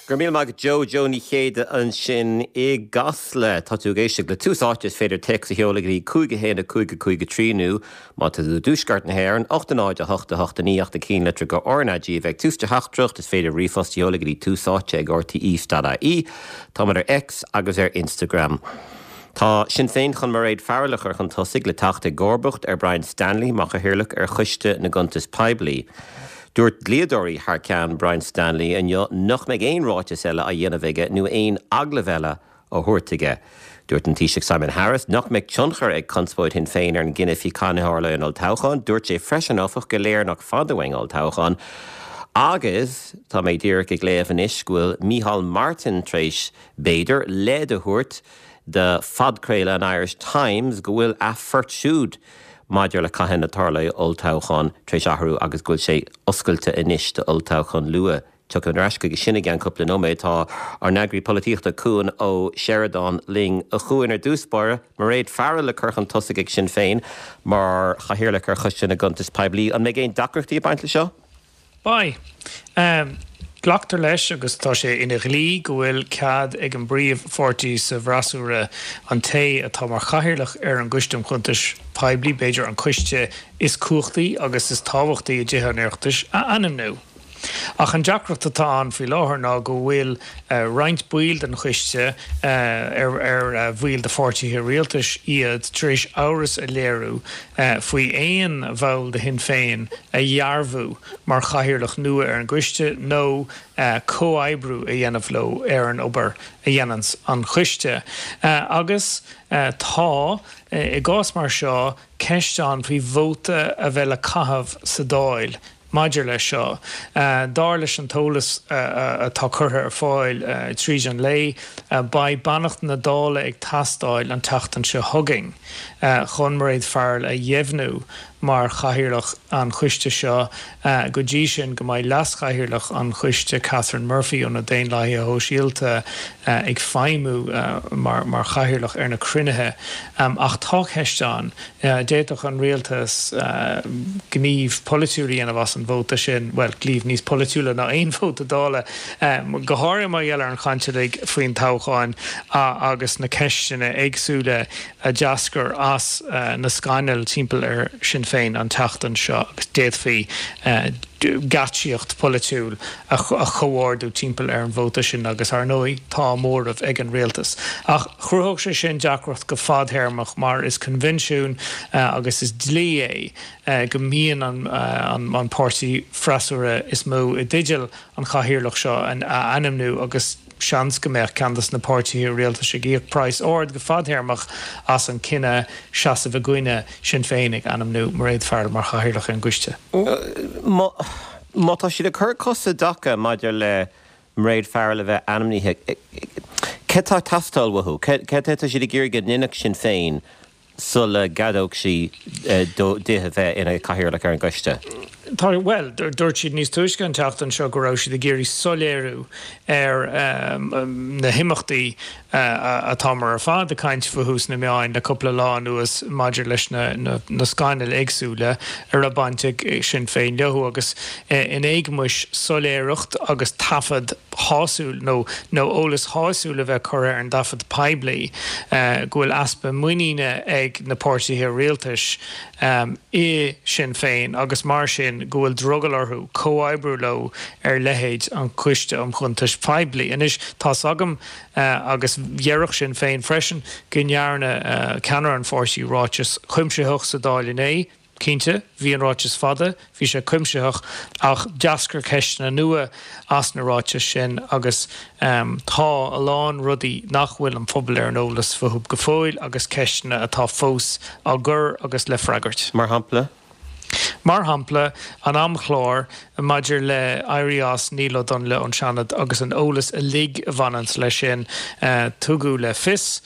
Go raibh míle maith agat Joe, Joe Ní Chéide ansin i gCasla. Tá tú ag éisteacht le Tús Áite, is féidir téacs a sheoladh go dtí 5 1 5 5 3 nó, má tá tú i dtuaisceart na hÉireann, 8 0 8 8 9 ach na cinnlitreacha RnaG a bheith ag tús do theachtaireacht, is féidir ríomhphost a sheoladh go dtí túsáite@rte.ie. Táimid ar X agus ar Instagram. Tá Sinn Féin chun Mairéad Farrell a chur chun tosaigh le teacht i gcomharbacht ar Brian Stanley mar chathaoirleach ar Choiste na gCuntas Poiblí. Dúirt dlíodóirí thar ceann Brian Stanley inniu nach mbeidh aon ráiteas eile á dhéanamh aige nó aon agallamh eile á thabhairt aige. Dúirt an Taoiseach Simon Harris nach mbeidh tionchar ag conspóid Shinn Féin ar an gcinneadh faoi cathain a tharlóidh an olltoghchán. Dúirt sé freisin, áfach, gur léir nach fada uainn olltoghchán agus tá mé díreach ag léamh anois go bhfuil Micheál Martin tar éis, b'fhéidir, leid a thabhairt do phodchraoladh an Irish Times go bhfuil a phort siúd maidir le cathain a tarlóidh olltoghchán tar éis athrú agus go bhfuil sé oscailte anois d'olltoghchán luath. Tiocfaimid ar ais chuige sin i gceann cúpla nóiméad. Tá ár n-eagraí polaitíochta Cuan Ó Seireadáin linn. A Chuain, ar dtús báire, Mairéad Farrell le cur chun tosaigh ag Sinn Féin mar chathaoirleach ar Choiste na gCuntas Poiblí. An mbeidh aon deacrachtaí ag baint le seo? Beidh. Glactar leis, agus tá sé ina dhlí, go bhfuil cead ag an bpríomhpháirtí sa bhfreasúra an té atá mar chathaoirleach ar an gCoiste um Chuntais Poiblí, b'fhéidir an coiste is cumhachtaí agus is tábhachtaí i dTithe an Oireachtais, a ainmniú. Ach an deacracht atá ann faoi láthair ná go bhfuil roinnt baill den choiste, ar bhaill de pháirtithe rialtais iad, tar éis amhras a léiriú faoi aon bhall de Shinn Féin a dhearbhú mar chathaoirleach nua ar an gcoiste nó comhoibriú a dhéanamh leo ar an obair a dhéananns an coiste. Agus tá, i gcás mar seo, ceist ann faoi vóta a bheith le caitheamh sa Dáil Maidir leis seo, dar leis an t-eolas atá curtha ar fáil tríd an lae, beidh beannacht na Dála ag teastáil an tseachtain seo chugainn chun Mairéad Farrell a dheimhniú mar chathaoirleach an choiste seo. Go dtí sin, go mbeidh leaschathaoirleach an choiste, Catherine Murphy ó na Daonlathaithe Shóisialta, ag feidhmiú mar chathaoirleach ar na cruinnithe. Ach tá ceist ann. D'fhéadfadh an rialtas gníomh polaitiúil a dhéanamh as an vóta sin, bhuel, gníomh níos polaitiúla ná aon vóta Dála, go háirithe mar gheall ar an chaint uilig faoin toghchán agus na ceisteanna éagsúla a d'eascair as na scannail timpeall ar Sinn Féin an tseachtain seo agus d'fhéadfaí geáitsíocht pholaitiúil a chomhordú timpeall ar an vóta sin agus, ar ndóigh, tá móramh ag an rialtas. Ach chruthódh sé sin deacracht go fadthéarmach mar is coinbhinsiún agus is dlí é go mbíonn an páirtí freasúra is mó i dteideal an chathaoirleach seo a ainmniú agus seans go mbeadh ceann de na páirtithe rialtais ag íoc praghas ard go fadtéarmach as an cinneadh seasamh i gcoinne Sinn Féin ag ainmniú Mairéad Farrell mar chathaoirleach ar an gcoiste. Má tá siad ag cur cos i dtaca maidir le Mairéad Farrell a bheith ainmnithe, céard atá ag teastáil uathu? Céard atá siad ag iarraidh go ndéanfadh Sinn Féin sula gceadódh sí di a bheith ina cathaoirleach ar an gcoiste? Tá, bhuel, dúirt siad níos túisce an tseachtain seo go raibh siad ag iarraidh soiléiriú ar na himeachtaí atáthar ar fad ag caint fúthu sna meáin le cúpla lá anuas maidir leis na scannail éagsúla a raibh baint ag Sinn Féin leo agus in éagmais soiléireacht agus taifead shásúil nó nó eolas shásúil a bheith curtha ar an dtaifead poiblí go bhfuil easpa muiníne ag na páirtithe rialtais i Sinn Féin agus mar sin go bhfuil drogall orthu comhoibriú leo ar leithéid an Choiste um Chuntais Phoiblí. Anois tá's agam agus déarfadh Sinn Féin freisin go ndearna ceannaire an pháirtí ráiteas cuimsitheach sa Dáil inné, Cinnte, bhí an ráiteas fada, bhí sé cuimsitheach, ach d'eascair ceisteanna nua as na ráitis sin agus tá a lán rudaí nach bhfuil an pobal ar an eolas fúthu go fóill agus ceisteanna atá fós á gcur agus le freagairt. Mar shampla? Mar shampla, an amchlár maidir le éirí as Niall Ó Donnghaile ón Seanad agus an eolas uilig a bhaineanns leis sin. Tugadh le fios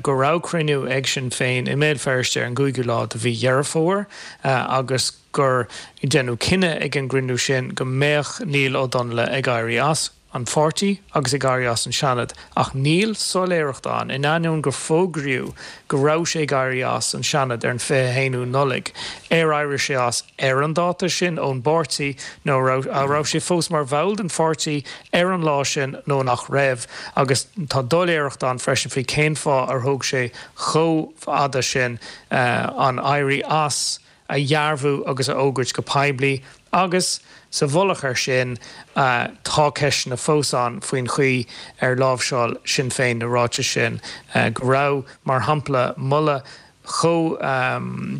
go raibh cruinniú ag Sinn Féin i mBéal Feirste ar an gcúigiú lá de mhí Dheireadh Fómhair agus gur deineadh cinneadh ag an gcruinniú sin go mbeadh Niall Ó Donnghaile ag éirí as. an pháirtí agus ag éirí as an Seanad ach níl soiléireacht ann, in ainneoin gur fógraíodh go raibh sé ag éirí as an Seanad ar an 21ú Nollaig, ar éirigh sé as ar an dáta sin ón bpáirtí nó an raibh sé fós mar bhall den pháirtí ar an lá sin nó nach raibh agus tá doiléireacht ann freisin faoi cén fáth ar thóg sé chomh fada sin an éirí as a dhearbhú agus a fhógairt go poiblí agus, sa mhullach air sin, tá ceisteanna fós ann faoin chaoi ar láimhseáil Sinn Féin na ráitis sin, go raibh, mar shampla, moladh chomh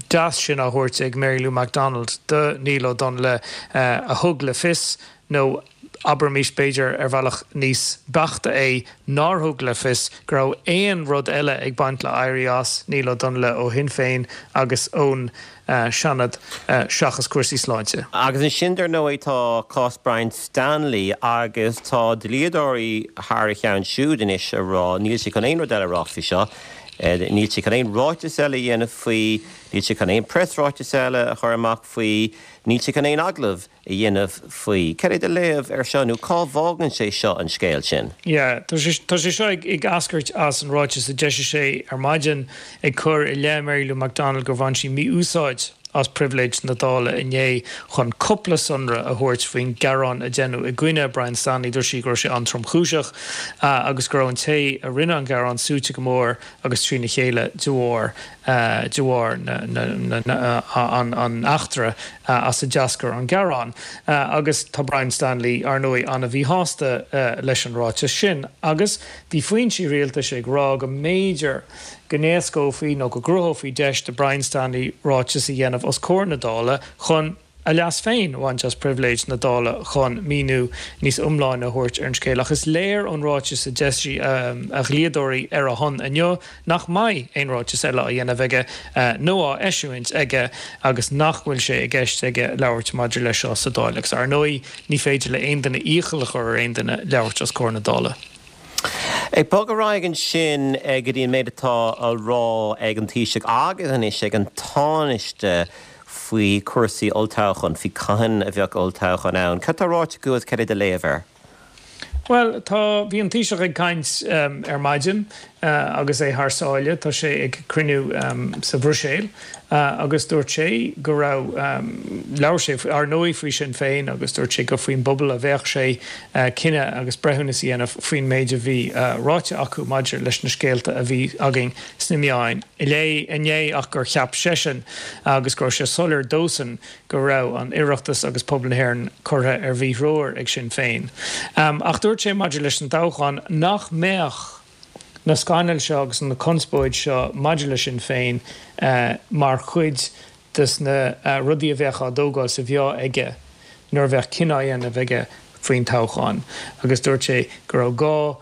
deas sin á thabhairt ag Mary Lou McDonald do Niall Ó Donnghaile a thug le fios, nó abraimis b'fhéidir ar bhealach níos beaichte é, nár thug le fios go raibh aon rud eile ag baint le éirí as Niall Ó Donnghaile ó Shinn Féin agus ón Seanad seachas cúrsaí sláinte. Agus ansin dar ndóigh tá cás Brian Stanley agus tá dlíodóirí thar a cheann siúd anois ag rá níl sé chun aon rud eile a rá faoi seo, níl sé chun aon ráiteas eile a dhéanamh faoi, níl sé chun aon preasráiteas eile a chur amach faoi, níl sé chun aon agallamh a dhéanamh faoi. Cad é do léamh air seo nó cá bhfágann sé seo an scéal sin? Yeah, tá sé tá sé seo ag ag eascairt as an ráiteas a d'eisigh sé ar maidin ag cur i leith Mary Lou McDonald gur bhain sí mí-úsáid as pribhléid na Dála inné chun cúpla sonra a thabhairt faoin ghearán a deineadh i gcoinne Brian Stanley. Dúirt sí go raibh sé an-tromchúiseach agus go raibh an té a rinne an gearán suaite go mór agus trína chéile de bharr de bharr an eachtra as a d'eascair an gearán. Agus tá Brian Stanley, ar ndóigh, an-mhíshásta leis an ráiteas sin. Agus bhí foinsí rialtais ag rá go mb'fhéidir go n-éascófaí nó go gcruthófaí deis do Brian Stanley ráiteas a dhéanamh os comhair na Dála chun a leas féin a bhaint as pribhléid na Dála chun míniú níos iomláine a thabhairt ar an scéal. Ach is léir ón ráiteas a d'eisigh a dhlíodóirí ar a shon inniu nach mbeidh aon ráiteas eile á dhéanamh aige nó á eisiúint aige agus nach bhfuil sé i gceist aige labhairt maidir leis seo sa Dáil. Agus ar ndóigh ní féidir le aon duine iachall a chur ar aon duine labhairt os comhair na Dála. Ag bogadh ar aghaidh ansin go dtí an méid atá á rá ag an Taoiseach agus anois ag an Tánaiste faoi chúrsaí olltoghcháin, faoi cathain a bheadh olltoghchán ann. Cad tá ráite acu agus cad é do léamh air? Bhuel, tá, bhí an Taoiseach ag caint ar maidin agus é thar sáile, tá sé ag cruinniú sa Bhruiséil agus dúirt sé go raibh, labhair sé ar ndóigh faoi Sinn Féin agus dúirt sé gur faoin bpobal a bheadh sé cinneadh agus breithiúnas a dhéanamh faoin méid a bhí ráite acu maidir leis na scéalta a bhí againn sna meáin inné ach gur cheap seisean agus go raibh sé soiléir dósan go raibh an Oireachtas agus pobal na hÉireann curtha ar mhíthreoir ag Sinn Féin. Ach dúirt sé maidir leis an toghchán nach mbeadh na scannail seo agus na conspóid seo maidir le Sinn Féin mar chuid des na rudaí a bheadh á dtógáil sa mheá aige nuair a bheadh cinneadh á dhéanamh aige faoin toghchán agus dúirt sé go raibh gá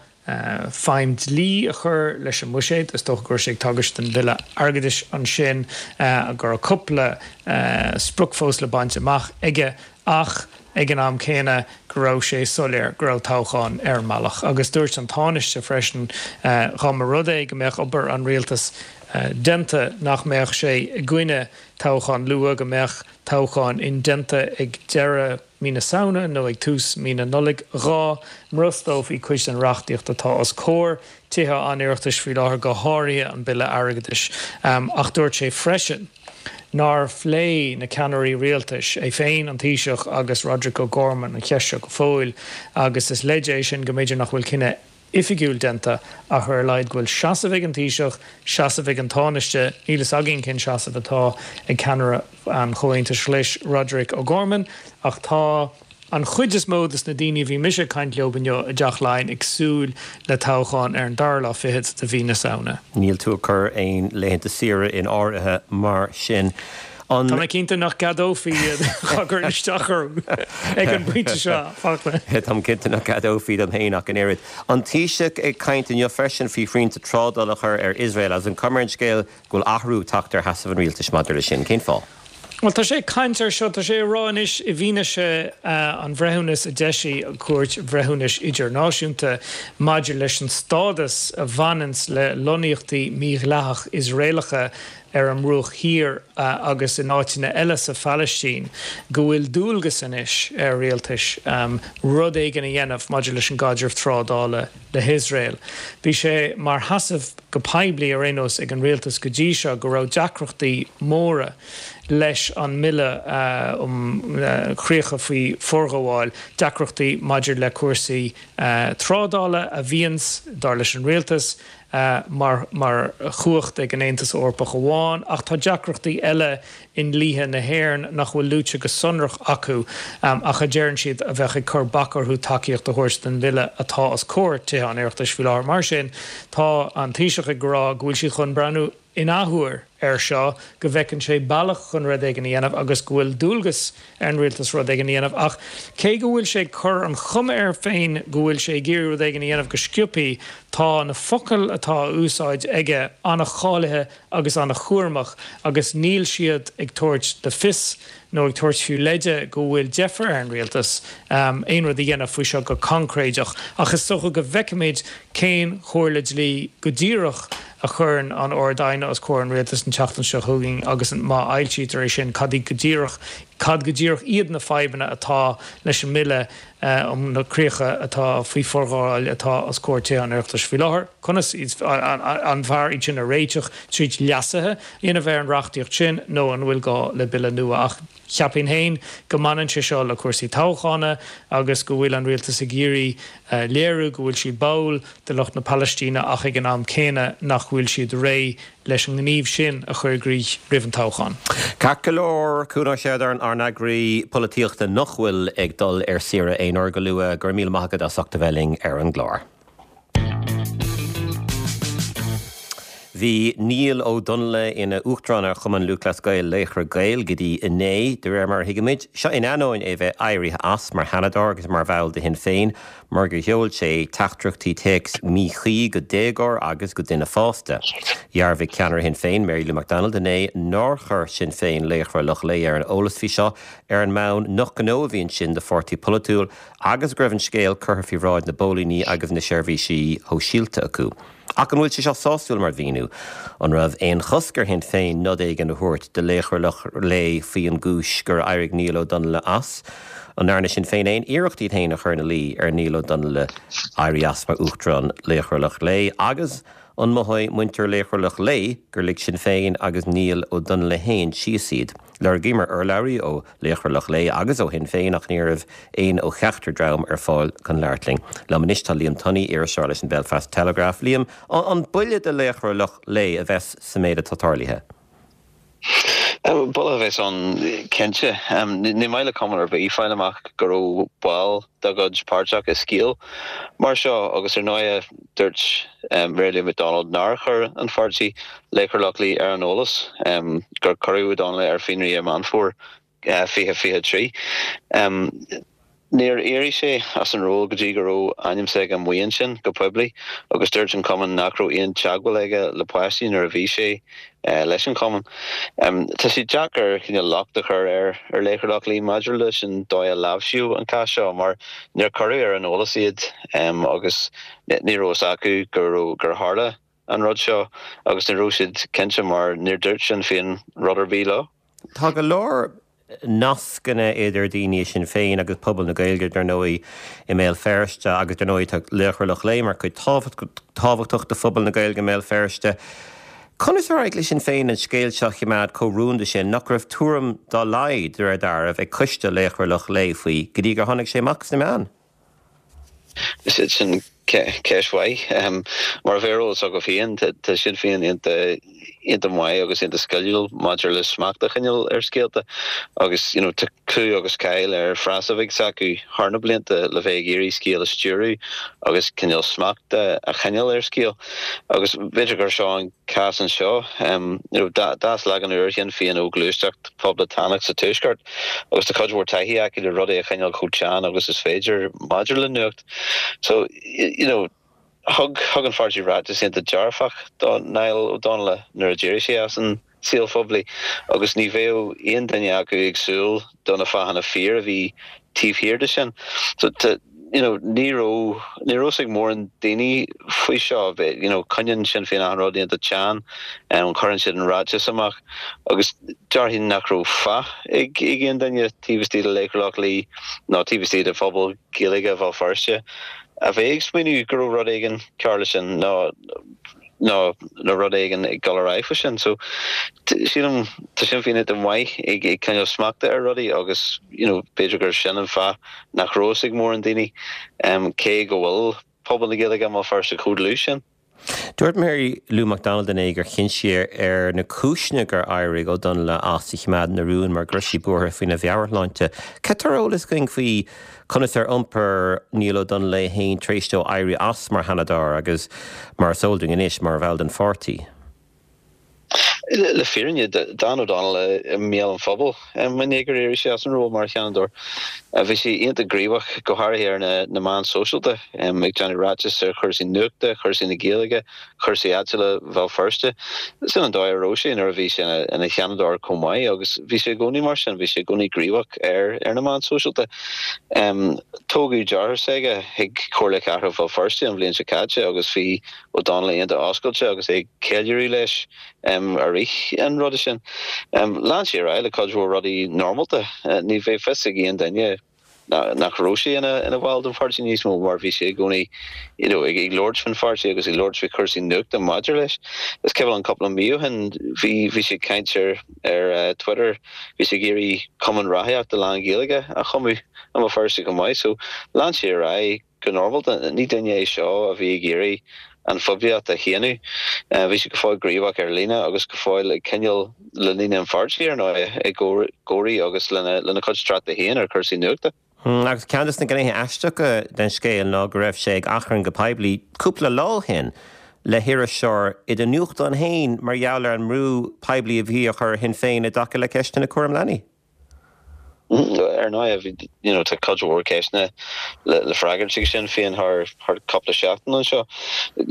feidhm dlí a chur leis an mbuiséad, is dócha go raibh sé ag tagairt don bhille airgeadais ansin, go raibh cúpla sprioc fós le baint amach aige ach ag an am céanna go raibh sé soiléir go raibh toghchán ar an mbealach. Agus dúirt an Tánaiste freisin dhá mba rud é go mbeadh obair an rialtais déanta nach mbeadh sé i gcoinne toghchán luath, go mbeadh toghchán indéanta ag deireadh mí na Samhna nó ag tús mí na Nollag dhá mbrostófaí cuid den reachtaíocht atá os comhair Tithe an Oireachtais faoi láthair, go háirithe an Bille Airgeadais. Ach dúirt sé freisin nár phléigh na ceannairí rialtais, é féin, an Taoiseach agus Roderic O'Gorman, an cheist seo go fóill agus is leid é sin go mb'fhéidir nach bhfuil cinneadh oifigiúil déanta ach ar a laghad go bhfuil seasamh ag an Taoiseach, seasamh ag an Tánaiste, níl fhios againn cén seasamh atá ag ceannaire an Chomhaontais Ghlais, Roderic O'Gorman, ach tá an chuid is mó des na daoine a bhí mise ag caint leo inniu i dTeach Laighean ag súil le toghchán ar an dara lá fichead de mhí na Samhna. Níl tú ag cur aon laethanta saoire in áirithe mar sin. An. Tá mé cinnte nach gceadófaí iad dá gcuirfinn isteach orm ag an bpointe seo, Fachtna. Táim cinnte nach gceadófaí dom féin ach an oiread. An Taoiseach ag caint inniu freisin faoi shrianta trádála a chur ar Iosrael agus an cuma ar an scéal go bhfuil athrú ag teacht ar sheasamh an rialtais maidir leis sin. Cén fáth? Bhuel, tá sé ag caint air seo, tá sé ag rá anois i bhfianaise an bhreithiúnas a d'eisigh an Chúirt Bhreithiúnais Idirnáisiúnta maidir leis an stádas a bhaineanns le lonnaíochtaí mídhleathach Iosraelacha. ar an mBruach Thiar agus in áiteanna eile sa Phalaistín, go bhfuil dualgas anois ar rialtais rud éigin a dhéanamh maidir leis an gcaidreamh trádála le hIosrael. Bhí sé mar sheasamh go poiblí ar aon nós ag an rialtas go dtí seo go raibh deacrachtaí móra leis an mBille um Chríocha faoi Forghabháil, deacrachtaí maidir le cúrsaí trádála a bhíonns, dar leis an rialtas, mar mar chumhacht ag an Aontas Eorpach amháin, ach tá deacrachtaí eile i ndlíthe na hÉireann nach bhfuil luaite go sonrach acu ach a deireann siad a bheadh ag cur bac orthu tacaíocht a thabhairt don bhille atá os comhair Tithe an Oireachtais faoi láthair. Mar sin, tá an Taoiseach ag rá go bhfuil siad chun breathnú in athuair air seo, go bhfeiceann sé bealach chun rud éigin a dhéanamh agus go bhfuil dualgas ar an rialtas rud éigin a dhéanamh. Ach cé go bhfuil sé ag cur an chuma air féin go bhfuil sé ag iarraidh rud éigin a dhéanamh go sciobthaí, tá na focail atá á úsáid aige an-cháilithe agus an-chúramach agus níl siad ag tabhairt le fios nó ag tabhairt fiú leide go bhfuil deifir ar an rialtas aon rud a dhéanamh faoi seo go coincréideach. Ach is dócha go bhfeicfimid cén chomhairle dlí go díreach a chuireann an Ard-Aighne os comhair an rialtais an tseachtain seo chugainn agus má fhoilsítear é sin, cad iad go díreach cad go díreach iad na fadhbanna atá leis an mBille um na Críocha atá faoi Forghabháil atá os comhair Tithe an Oireachtais faoi láthair. Conas an fearr iad sin a réiteach tríd leasuithe a dhéanamh ar an reachtaíocht sin nó an bhfuil gá le bille nua? Ach cheapfainn féin go mbaineann sé seo le cúrsaí toghchána agus go bhfuil an rialtas ag iarraidh léiriú go bhfuil siad báúil do lucht na Palaistíne ach ag an am céanna nach bhfuil siad réidh leis an ngníomh sin a chur i gcrích roimh an toghchán. Ceart go leor, Cuan Ó Seireadáin, ár n-eagraí polaitíochta nach bhfuil ag dul ar saoire aon uair go luath, go raibh míle maith agat as ucht a bheith linn ar an gclár. Bhí Niall Ó Donnaile ina Uachtarán ar Chumann Lúthchleas Gael Laochra Gael go dtí inné, de réir mar a thuigimid. Seo in ainneoin é bheith éirithe as mar Sheanadóir agus mar bhall de Shinn Féin mar gur sheol sé teachtaireachtaí téacs míchuí go déagóir agus go duine fásta. Dhearbhaigh ceannaire Shinn Féin, Mary Lou McDonald inné nár chuir Sinn Féin Laochra Loch Lao ar an eolas faoi seo ar an mbonn nach gnó a bhí ansin do pháirtí polaitiúil agus go raibh an scéal curtha faoi bhráid na bpóilíní agus na seirbhísí shóisialta acu. Ach an bhfuil sé seo sásúil mar mhíniú? An raibh aon chosc ar Shinn Féin nod éigin a thabhairt do Laochra Loch Lao faoi an gcúis gur éirigh Niall Ó Donnaile as? An ndearna Sinn Féin aon iarracht iad féin a chur ina luí ar Niall Ó Donnaile éirí as mar Uachtarán Laochra Loch Lao? Agus an mothóidh muintir Laochra Loch Lao gur lig Sinn Féin agus Niall Ó Donnaile féin síos iad? Lorgaíomar urlabhraí ó Laochra Loch Lao agus ó Shinn Féin ach ní raibh aon ó cheachtar dream ar fáil chun labhairt linn. Liom anois tá Liam Tunney, iriseoir leis an Belfast Telegraph. Liam, an buille do Laochra Loch Lao a bheas sa méid atá tarlaithe? Buille a bheas ann cinnte. Ní maith le cumann ar bith fáil amach go raibh ball dá gcuid páirteach i scéal mar seo agus ar ndóigh dúirt Mary Lou McDonald nár chuir an pháirtí Laochra Loch Lao ar an eolas gur cuireadh Ó Donnaile ar fionraí i Meán Fómhair 2023. Níor éirigh sé as an ról go dtí go raibh ainm s'aige amuigh ansin go poiblí agus dúirt an cumann nach raibh aon teagmháil aige le páistí nuair a bhí sé leis an chumann. Tá sé deacair cineál locht a chur ar ar Laochra Loch Lao maidir leis an dóigh a láimhsíodh an cás seo mar níor cuireadh ar an eolas iad agus ní raibh fhios acu go raibh gur tharla an rud seo agus ní raibh siad cinnte mar níor dúirt Sinn Féin rud ar bith leo. Tá go leor nascanna idir daoine i Sinn Féin agus pobal na Gaeilge, dar ndóigh, i mBéal Feirste agus dar ndóigh tá Laochra Loch Lao mar chuid tábhachtach de phobal na Gaeilge i mBéal Feirste. Conas ar éirigh le Sinn Féin an scéal seo a choimeád chomh rúnda sin nach raibh tuairim dá laghad, de réir dealraimh, ag coiste Laochra Loch Lao faoi go dtí gur tháinig sé amach sna meáin? Sin ceist mhaith. Mar a bheadh ar eolas agaibh féin, tá Sinn Féin iontach maith agus iontach sciliúil maidir le smacht a choinneáil ar scéalta agus you know tá clú agus cáil ar phreasoifig s'acu thar na blianta le bheith ag iarraidh scéal a stiúradh agus cineál smacht a choinneáil ar scéal. Agus b'fhéidir gur seo an cás anseo. You know d'fhás leagan úr Shinn Féin ó ghluaisteacht phoblachtánach sa Tuaisceart. Agus tá cuid mhór taithí acu le rudaí a choinneáil chomh teann agus is féidir maidir le nuacht. So, you know, thug, thug an pháirtí ráiteas iontach dearfach do Niall Ó Donnaile nuair a d'éirigh sé as an saol phoiblí agus ní bheadh aon duine acu ag súil do na fáthanna fíor a bhí taobh thiar de sin. So, tá. You know, ní raibh, ní raibh fhios ag mórán daoine faoi seo. You know, coinníonn Sinn Féin achan rud iontach teann, cuireann siad an ráiteas amach agus déarfainn nach raibh faic ag aon duine taobh istigh de Laochra Loch Lao nó taobh istigh de phobal Gaeilge Bhéal Feirste a bheith ag smaoineamh go raibh rud éigin cearr leis sin nó nó nó rud éigin ag dul ar aghaidh faoi sin. So sílim tá Sinn Féin iontach maith ag ag coinneáil smachta ar rudaí agus you know b'fhéidir gur sin an fáth nach raibh fhios ag mórán daoine cé go bhfuil pobal na Gaeilge i mBéal Feirste chomh dlúth sin. Dúirt Mary Lou McDonald inné gur chinn sí ar na cúiseanna gur éirigh Ó Donnaile as a choimeád ina rún mar go raibh sí buartha faoina mheabhairshláinte. Cad tá ar eolas againn faoi Conas ar iompair Niall Ó Donnaile é féin tar éis dó éirí as mar Sheanadóir agus, mar is eol dúinn anois, mar bhall den pháirtí? Le fírinne, d'fhan Ó Donnaile i mbéal an phobail i ndiaidh gur éirigh sé as an ról mar Sheanadóir. Bhí sé iontach gníomhach, go háirithe ar na meáin sóisialta, ag déanamh ráiteas ar chúrsaí nuachta, chúrsaí na Gaeilge, chúrsaí áitiúla Bhéal Feirste. Sin an dóigh a raibh sé nuair a bhí sé ina Sheanadóir chomh maith agus bhí sé i gcónaí mar sin, bhí sé i gcónaí gníomhach ar ar na meáin sóisialta. Toghadh deartháir s'aige chuig Comhairle Cathrach Bhéal Feirste an bhliain seo caite agus bhí Ó Donnaile iontach oscailte agus é ag ceiliúradh leis i rith an ruda sin. Lean sé ar aghaidh le cuid mhór rudaí normálta. Ní bheidh fios ag aon duine nach raibh sé ina bhall den pháirtí níos mó mar bhí sé i gcónaí you know ag labhairt faoin pháirtí agus ag labhairt faoi chúrsaí nuachta maidir leis. Is cuimhin liom cúpla mí ó shin bhí bhí sé ag caint ar ar Twitter, bhí sé ag iarraidh cumann rothaíochta lán-Ghaeilge a chumadh i mBéal Feirste chomh maith so lean sé ar aghaidh go normálta. Ní duine é seo a bhí ag iarraidh an phoiblíocht a shéanadh. Bhí sé go fóill gníomhach ar líne agus go fóill ag coinneáil le daoine an pháirtí, ar ndóigh, i gcónaí agus lena chuid tráchta féin ar chúrsaí nuachta. Agus ceann de na gnéithe aisteacha den scéal ná go raibh sé ag achrann go poiblí cúpla lá ó shin le hiriseoir i do nuachtán féin mar gheall ar an mbrú poiblí a bhí á chur ar Shinn Féin i dtaca le ceisteanna cúram leanaí. Ar ndóigh, bhí, you know, tá cuid mhór ceisteanna le freagairt ag Sinn Féin thar cúpla seachtain anseo.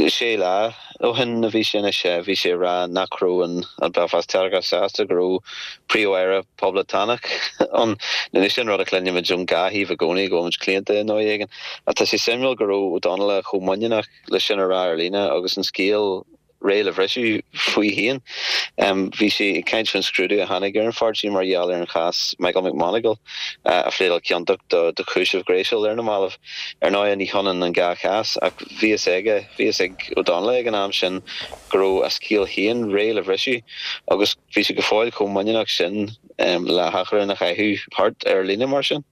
Sé lá ó shin a bhí sé anois, bhí sé ag rá nach raibh an Belfast Telegraph sásta go raibh Príomh-Aire Poblachtánach ann. Anois sin rud a chluinimid ón dhá thaobh i gcónaí, go bhfuil muid claonta i ndóigh éigin. Ach tá sé suimiúil go raibh Ó Donnaile chomh muiníneach le sin a rá ar líne agus an scéal réidh le bhriseadh faoi féin. Bhí sé ag caint faoin scrúdú a tháinig ar an pháirtí mar gheall ar an chás Michael McMonagle a phléadáil ciontach do chúiseamh gréasúil ar na mallaibh. Ar ndóigh ní hionann an dhá chás ach bhí fhios aige, bhí fhios ag Ó Donnaile ag an am sin go raibh a scéal féin réidh le bhriseadh agus bhí sé go fóill chomh muiníneach sin le hachrann a chaitheamh thart ar líne mar sin.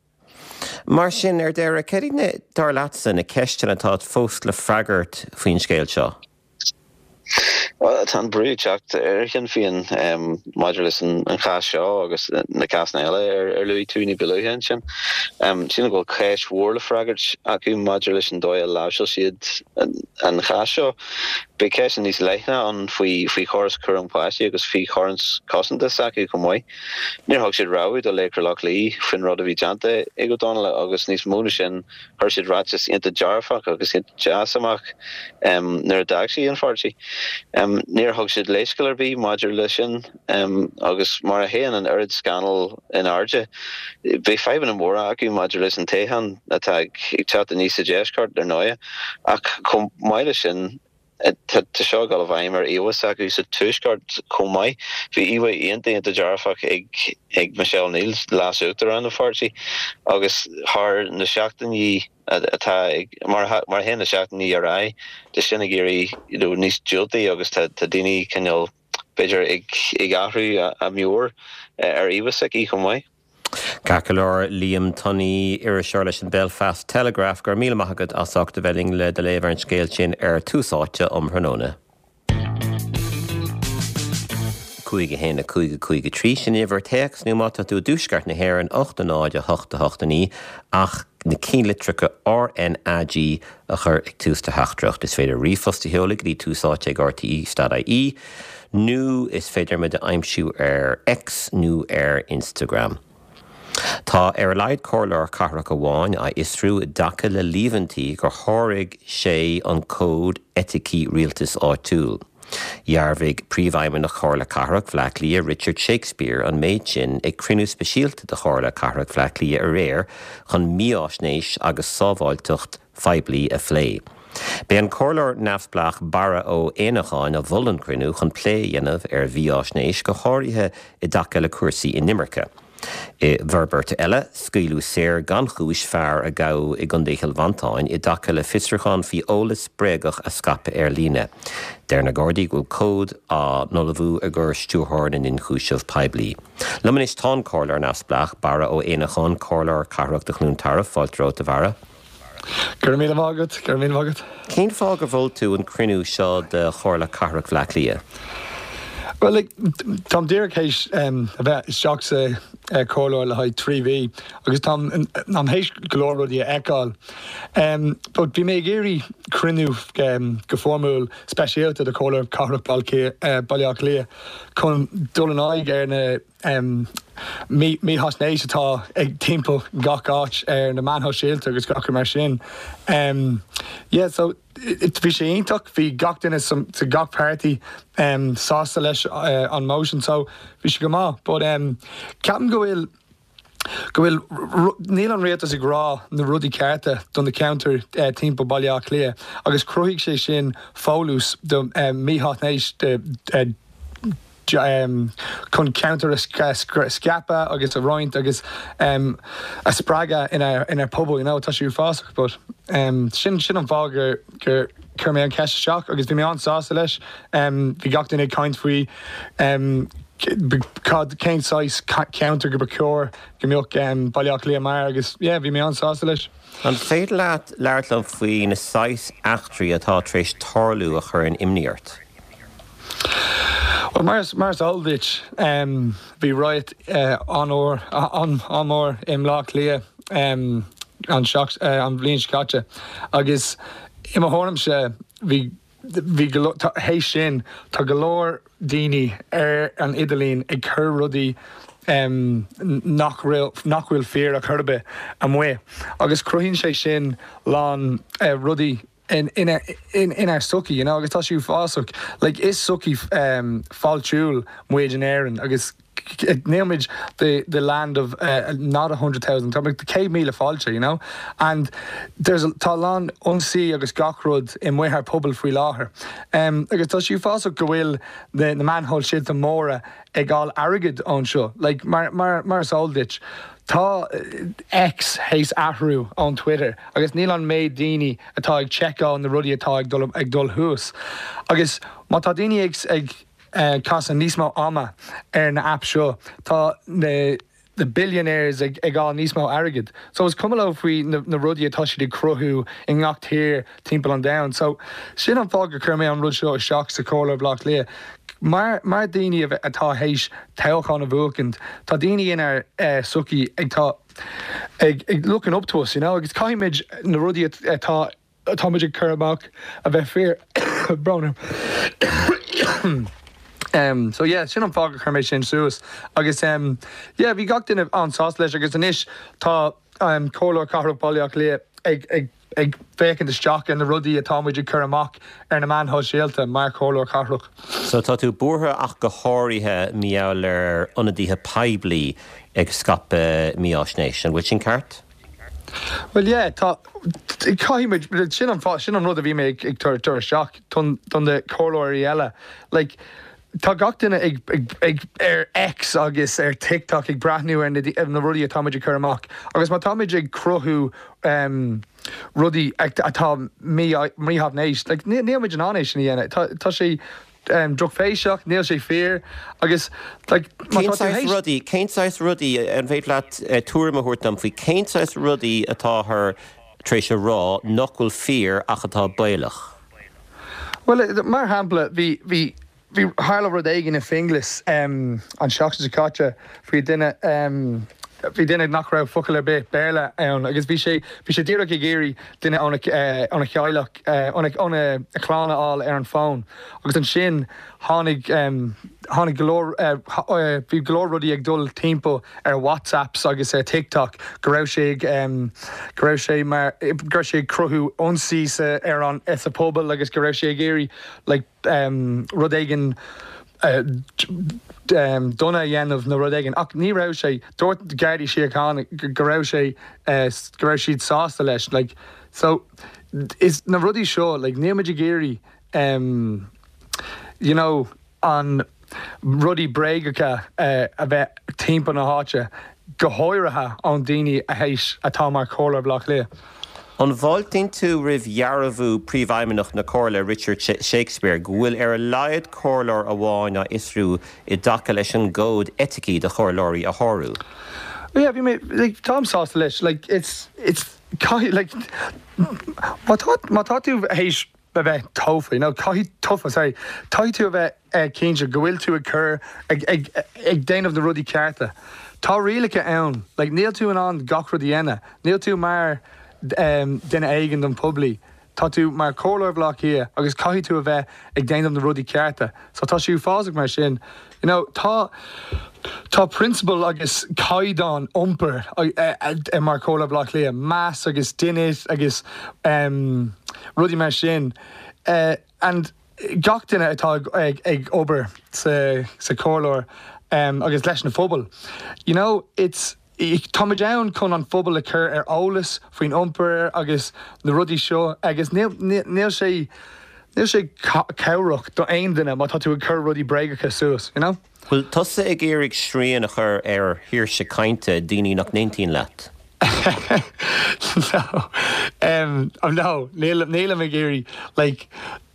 Mar sin, ar deireadh, cad iad na, dar leatsa, na ceisteanna atá fós le freagairt faoin scéal seo? Bhuel, tá an brú ag teacht ar Shinn Féin maidir leis an chás seo agus na cásanna eile ar luaigh tú ní ba luaithe ansin. Sílim go bhfuil ceist mhór le freagairt acu maidir leis an dóigh a láimhseáil siad an chás seo. Beidh ceisteanna níos leithne ann faoi chóras cúram páistí agus faoi chóras cosanta s'acu chomh maith. Níor thug siad rabhadh do Laochra Loch Lao faoin rud a bhí déanta ag Ó Donnaile agus níos mó ná sin, Chuir siad ráiteas iontach dearfach agus iontach deas amach nuair a d'fhág sé an pháirtí. Níor thug siad leithscéal ar bith maidir leis sin agus mar a théann an oiread scannal in airde, beidh fadhbanna móra acu maidir leis an toghchán atá ag teacht aníos sa deisceart, ar ndóigh. Ach chomh maith leis sin, Tá seo ag dul i bhfeidhm ar íomhá s'acu sa Tuaisceart chomh maith. Bhí íomhá iontach, iontach dearfach ag Michelle O'Neill, leas-uachtarán an pháirtí, agus thar na seachtainí atá ag, mar a théann na seachtainí ar aghaidh, tá sin ag éirí níos diúltaí agus tá daoine cineál, b'fhéidir, ag athrú a meabhair ar íomhá s'aici chomh maith. Ceart go leor, Liam Tunney, iriseoir leis an Belfast Telegraph, go raibh míle maith agat as ucht a bheith linn le do léamh ar an scéal sin ar Tús Áite um thráthnóna. 5 1 5 5 3, sin uimhir téacs nó má tá tú i dtuaisceart na hÉireann 8 0 8 8 9 ach na cinnlitreacha RnaG a chur ag tús do theachtaireacht. Is féidir ríomhphost a sheoladh go dtí túsáite ag rte.ie. Nó is féidir muid a aimsiú ar X nó ar Instagram. Tá ar a laghad comhairleoir cathrach amháin á fhiosrú i dtaca le líomhaintí gur sháraigh sé an cód eiticí rialtais áitiúil. Dhearbhaigh Príomhfheidhmeannach Chomhairle Cathrach Bhaile Átha Cliath, Richard Shakespeare, an méid sin ag cruinniú speisialta de Chomhairle Cathrach Bhaile Átha Cliath aréir chun mífháisnéis agus sábháilteacht phoiblí a phlé. B'é an comhairleoir neamhspleách Barra Ó Éanacháin a mhol an cruinniú chun plé a dhéanamh ar mhífháisnéis, go háirithe i dtaca le cúrsaí inimirce. I bhforbairt eile, scaoileadh saor gan chúis fear a gabhadh i gContae Chill Mhantáin i dtaca le fiosrúchán faoi eolas bréagach a scaipeadh ar líne. Deir na Gardaí go bhfuil comhad á n-ullmhú i gcomhair Stiúrthóir na nIonchúiseamh Poiblí. Liom anois tá an Comhairleoir Neamhspleách, Barra Ó Éanacháin, Comhairleoir Cathrach do Chluain Tarbh. Fáilte romhat, a Bharra. Go raibh míle maith agat, go raibh míle maith agat. Cén fáth gur mhol tú an cruinniú seo de Chomhairle Cathrach Bhaile Átha Cliath? Bhuel, like, táim díreach théis a bheith isteach sa chomhairleoir le haghaidh 3 mhí agus táim táim théis go leor rudaí a fheiceáil. But bhí mé ag iarraidh cruinniú go foirmiúil speisialta de Chomhairle Cathrach Baile Átha Cliath chun dul in aghaidh ar na mífhaisnéis atá ag timpeall gach áit ar na meáin shóisialta agus gach rud mar sin. Yeah so bhí sé iontach, bhí gach duine sa gach páirtí sásta leis an motion so bhí sé go maith but ceapaim go bhfuil go bhfuil níl an rialtas ag rá na rudaí cearta do na ceantair timpeall Baile Átha Cliath agus chruthaigh sé sin folús do mífhaisnéis chun ceantar a scaipeadh agus a roinnt agus a spreagadh inár pobal, you know, tá sé uafásach but sin sin an fáth gur gur chuir mé an cheist isteach agus bhí mé an-sásta leis. Bhí gach duine ag caint faoi cad cén saghas ceantar go ba chóir go mbeadh Baile Átha Cliath mar agus yeah bhí mé an-sásta leis. An féidir leat labhairt liom faoi na saghas eachtraí atá tar éis tarlú a chuireann imní ort? Bhuel, mar is mar is eol duit, bhí riot an-mhór an-mhór i mBleá Cliath an an bhliain seo caite agus i mo thuairimse bhí bhí go leor théis sin tá go leor daoine ar an idirlíon ag cur rudaí nach raibh nach bhfuil fíor ar chor ar bith amuigh agus cruthaíonn sé sin lán rudaí inár sochaí, you know, agus tá sé uafásach. Like, is sochaí fáiltiúil muid in Éirinn agus níl muid the, the land of not 100,000, tá muid 100,000 fáilte, you know, and there's, tá a lán ionsaí agus gach rud i amuigh ár pobal faoi láthair. Agus tá sé uafásach go bhfuil na, na meáin shóisialta móra ag fháil airgead ón seo. Like, mar, mar, mar is eol duit, tá X théis athrú ón Twitter agus níl an méid daoine atá ag tseiceáil na rudaí atá ag dul, ag dul thuas. Agus má tá daoine ag, ag casadh níos mó ama ar na apps seo, tá na, the billionaires ag ag fháil níos mó airgead. So is cuma leo faoi na na rudaí atá siad ag cruthú i ngach tír timpeall an domhain. So sin an fáth gur chuir mé an rud seo isteach sa Chomhairle Bhaile Átha Cliath. Mar mar daoine a atá théis toghchán a bhuachaint, tá daoine inár sochaí ag tá ag ag looking up to us, you know, agus caithfimid na rudaí atá atá muid ag cur amach a bheith fíor. Brón orm. So yeah, sin an fáth gur chuir mé sin suas. Agus yeah, bhí gach duine an-sásta leis agus anois tá Comhairleoir Cathrach Bhaile Átha Cliath ag ag ag féachaint isteach ar na rudaí atá muid ag cur amach ar na meáin shóisialta mar Chomhairleoir Cathrach. So tá tú buartha ach go háirithe mar gheall ar ionadaithe poiblí ag scaipeadh mífháisnéis. An bhfuil sin ceart? Bhuel yeah, tá, caithfidh muid, sin an fáth, sin an rud a bhí mé ag ag tabhairt isteach don don na comhairleoirí eile. Like, tá gach duine ag ag ag ar X agus ar TikTok ag breathnú ar na ar na rudaí atá muid ag cur amach agus má tá muid ag cruthú um rudaí atá mí mífhaisnéis, like níl níl muid in ann é sin a dhéanamh. Tá tá sé drochbhéasach, níl sé fíor agus like má Cén tá tú saghas théis. rudaí, cén saghas rudaí, an féidir leat tuairim a thabhairt dom faoi cén saghas rudaí atáthar tar éis a rá nach bhfuil fíor ach atá baolach? Bhuel, mar shampla, bhí, bhí, bhí, tharla rud éigin i Finglas an seachtain seo caite faoi duine. bhí duine nach raibh focal ar bith Béarla ann agus bhí sé, bhí sé díreach ag iarraidh duine óna, óna theaghlach, óna, óna chlann a fháil ar an bhfón agus ansin tháinig, tháinig go leor, bhí go leor rudaí ag dul timpeall ar WhatsApps agus ar TikTok go raibh sé ag, go raibh sé mar, go raibh sé ag cruthú ionsaí sa, ar an, sa phobal agus go raibh sé ag iarraidh like rud éigin dona a dhéanamh nó rud éigin ach ní raibh sé, dúirt Gardaí Síochána go raibh sé, go raibh siad sásta leis like so is na rudaí seo like níl muid ag iarraidh you know an rudaí bréagacha a bheith timpeall na háite, go háirithe ón daoine a théis atá mar Chomhairleoir Bhaile Átha Cliath. An bhfáiltíonn tú roimh dhearbhú Príomhfheidhmeannach na Comhairle, Richard Shakespeare, go bhfuil ar a laghad comhairleoir amháin á fhiosrú i dtaca leis an gcód eiticí do chomhairleoirí a shárú? Yeah, bhí mé, like, táim sásta leis, like, it's, it's, caithfidh, like, má tá, má tá tú théis a bheith tofa, you know, caithfidh, tofa, sorry, caithfidh tú a bheith cinnte go bhfuil tú ag cur, ag, ag, ag déanamh na rudaí cearta. Tá rialacha ann, like, níl tú in ann gach rud a dhéanamh, níl tú mar duine éigin don poiblí, tá tú mar Chomhairleoir Bhaile Átha Cliath agus caithfidh tú a bheith ag déanamh na rudaí cearta. So tá sé uafásach mar sin, you know, tá, tá prionsabail agus caighdeán iompair mar Chomhairleoir Bhaile Átha Cliath, meas agus dínit agus rudaí mar sin and gach duine atá ag ag obair sa sa chomhairleoir agus leis na phobail, you know, it's. Táimid ann chun an phobal a chur ar eolas faoin iompar agus na rudaí seo agus níl sé níl sé cabhrach do aon duine má tá tú ag cur rudaí bréagacha suas, you know? Bhfuil tusa ag iarraidh srian a chur ar shaoirse cainte daoine nach n-aontaíonn leat? No, no, nílim ag iarraidh, like,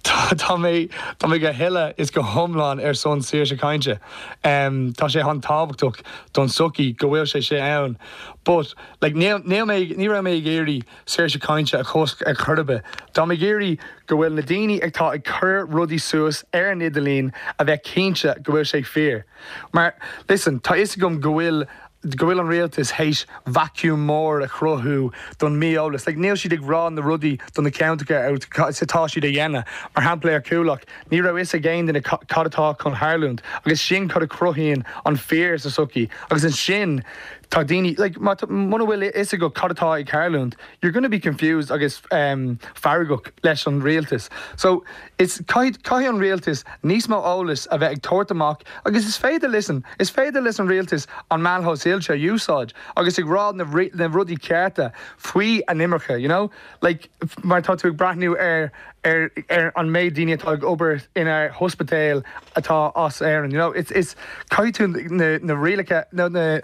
Tá mé, tá mé go huile is go hiomlán ar son saoirse cainte. Tá sé an-tábhachtach don tsochaí go bhfuil sé sin ann. But, like, níl, níl mé, ní raibh mé ag iarraidh saoirse cainte a chosc ar chor ar bith. Tá mé ag iarraidh go bhfuil na daoine atá ag cur rudaí suas ar an idirlíon a bheith cinnte go bhfuil sé fíor. Mar, listen, tá fhios agam go bhfuil go bhfuil an rialtas théis vacuum mór a chruthú don mí-eolas. Like, níl siad ag rá na rudaí do na ceantracha atá siad a dhéanamh. Mar shampla ar Coolock, ní raibh fhios ag aon duine cad atá chun tharlúint agus sin cad a chruthaíonn an fear sa sochaí agus ansin tá daoine, like, má muna bhfuil fhios agat cad atá ag tharlúint, you're gonna be confused agus feargach leis an rialtas. So, Is caithfidh an rialtas níos mó eolais a bheith ag tabhairt amach agus is féidir listen, is féidir leis an rialtas an meán shóisialta a úsáid agus ag rá na na rudaí cearta faoi an imirce, you know, like mar tá tú ag breathnú ar ar ar an méid daoine atá ag obair inár hospidéil atá as Éirinn, you know, it's it's caithfidh tú na na rialacha nó na